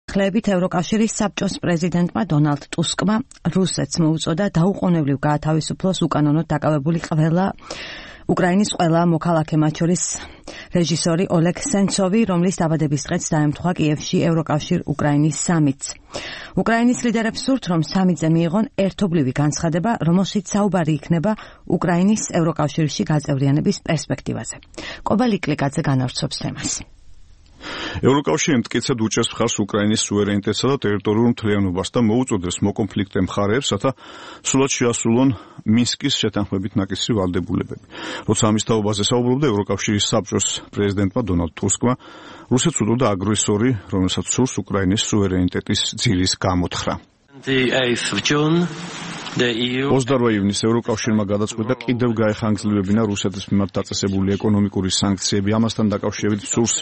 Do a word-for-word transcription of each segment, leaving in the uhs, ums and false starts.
ხლებით ევროკავშირის საბჭოს პრეზიდენტმა დონალდ ტუსკმა რუსეთს მოუწოდა დაუყოვნებლივ გაათავისუფლოს უკანონოდ დაკავებული ყველა უკრაინის ყველა მოქალაქე, მათ შორის რეჟისორი ოლეგ სენცოვი, რომლის დაბადების დღეც დაემთხვა კიევში ევროკავშირ უკრაინის სამიტს. უკრაინის ლიდერებს სურთ, რომ სამიტზე მიიღონ ერთობლივი განცხადება, რომელშიც საუბარი იქნება უკრაინის ევროკავშირში გაწევრიანების პერსპექტივაზე. კობა ლიკლიკაძე განავრცობს თემას. ევროკავშირი მტკიცედ უჭერს მხარს უკრაინის სუვერენიტეტსა და ტერიტორიულ მთლიანობას და მოუწოდებს მოკონფლიქტე მხარეებს, რათა სრულად შეასრულონ მინსკის შეთანხმებით ნაკისრი ვალდებულებები. როცა ამის თაობაზე საუბრობდა ევროკავშირის საბჭოს პრეზიდენტმა დონალდ ტუსკმა, რუსეთს უდოდა აგრესორი, რომელსაც სურს უკრაინის სუვერენიტეტის ძილის გამოთხრა. ოცდაოთხ ივნისს ევროკავშირმა გადაწყვიტა კიდევ გაეხანგრძლივებინა რუსეთის მიმართ დაწესებული ეკონომიკური სანქციები. ამასთან დაკავშირებით სურს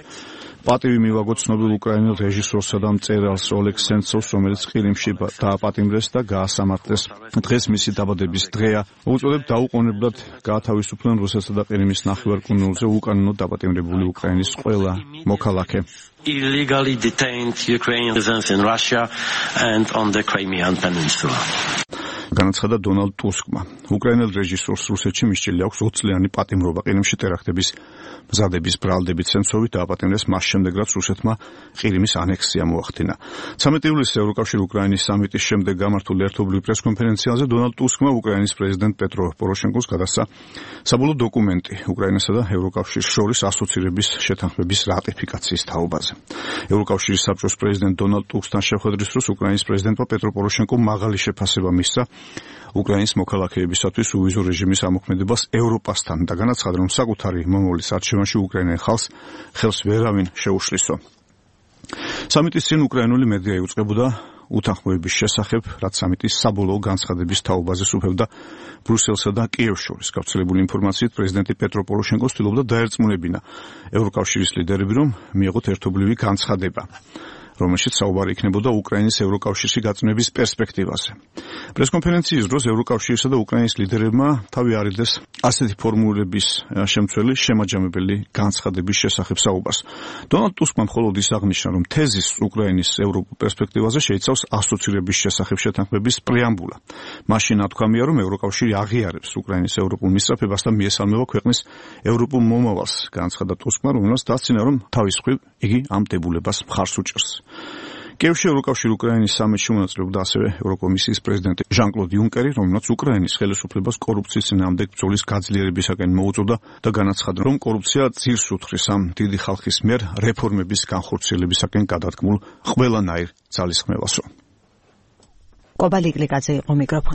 პატივი მივაგოთ ცნობილ უკრაინელ რეჟისორსა და მწერალს ოლეგ სენცოვს, რომელიც ყირიმში დააპატიმრეს და გაასამართლეს. დღეს მისი დაბადების დღეა. მოუწოდებ დაუყოვნებლად გაათავისუფლონ რუსეთსა და ყირიმის ნახევარკუნძულზე უკანონოდ დაპატიმრებული უკრაინის ყველა მოქალაქე. Illegally detained Ukrainian citizens in Russia and on the Crimean Peninsula. განაცხადა დონალდ ტუსკმა. უკრაინელ რეჟისორს რუსეთში მისჭილი აქვს ოცწლიანი პატიმრობა ყირიმში ტერაქტების მზადების ბრალდებით. სენცოვი დააპატიმრეს მას შემდეგ, რაც რუსეთმა ყირიმის ანექსია მოახდინა. ცამეტი ივლისს ევროკავშირ უკრაინის სამიტის შემდეგ გამართულ ერთობლივ პრესკონფერენციაზე დონალდ ტუსკმა უკრაინის პრეზიდენტ პეტრო პოროშენკოს გადასცა საბოლოო დოკუმენტი უკრაინასა და ევროკავშირს შორის ასოცირების შეთანხმების რატიფიკაციის თაობაზე. ევროკავშირის საბჭოს პრეზიდენტ დონალდ ტუსკთან შეხვედრის დროს უკრაინის პრეზიდენტმა პეტრო პოროშენკომ მაღალი შეფასება მისცა უკრაინის მოქალაქეებისათვის უვიზო რეჟიმის ამოქმედებას ევროპასთან და განაცხადა, რომ საკუთარი მომავლის არჩევანში უკრაინელ ხალხს ხელს ვერავინ შეუშლისო. სამიტის წინ უკრაინული მედია იუწყებოდა უთანხმოების შესახებ, რაც სამიტის საბოლოო განცხადების თაობაზე სუფევდა ბრუსელსა და კიევს შორის. გავრცელებული ინფორმაციით პრეზიდენტი პეტრო პოროშენკო ცდილობდა დაერწმუნებინა ევროკავშირის ლიდერები, რომ მიიღოთ ერთობლივი განცხადება, რომელშიც საუბარი იქნებოდა უკრაინის ევროკავშირში გაწმენების პერსპექტივაზე. პრესკონფერენციის დროს ევროკავშირისა და უკრაინის ლიდერებმა თავი არიდეს ასეთი ფორმულების შემცველი შემაჯამებელი განცხადების შესახებ საუბარს. დონალდ ტუსკმა მხოლოდ ის აღნიშნა, რომ თეზის უკრაინის ევროპულ პერსპექტივაზე შეიცავს ასოცირების შესახებ შეთანხმების პრეამბულა. მაშინ ნათქვამია, რომ ევროკავშირი აღიარებს უკრაინის ევროპულ მისწრაფებას და მიესალმება ქვეყნის ევროპულ მომავალს. განაცხადა ტუსკმა, რომელსაც დასცინა, რომ თავის მხრივ იგი ამ დებულებას მხარს უჭერს. კიევში ევროკავშირ უკრაინის სამიტში მონაწილეობდა ასევე ევროკომისიის პრეზიდენტი ჟან-კლოდ იუნკერი, რომელმაც უკრაინის ხელისუფლებას კორუფციის წინააღმდეგ ბრძოლის გაძლიერებისაკენ მოუწოდა და განაცხადა, რომ კორუფცია ძირს უთხრის ამ დიდი ხალხის მიერ რეფორმების განხორციელებისაკენ გადადგმულ ყველანაირ ძალისხმევასო. კობა ლიკლიკაძე იყო მიკროფონი.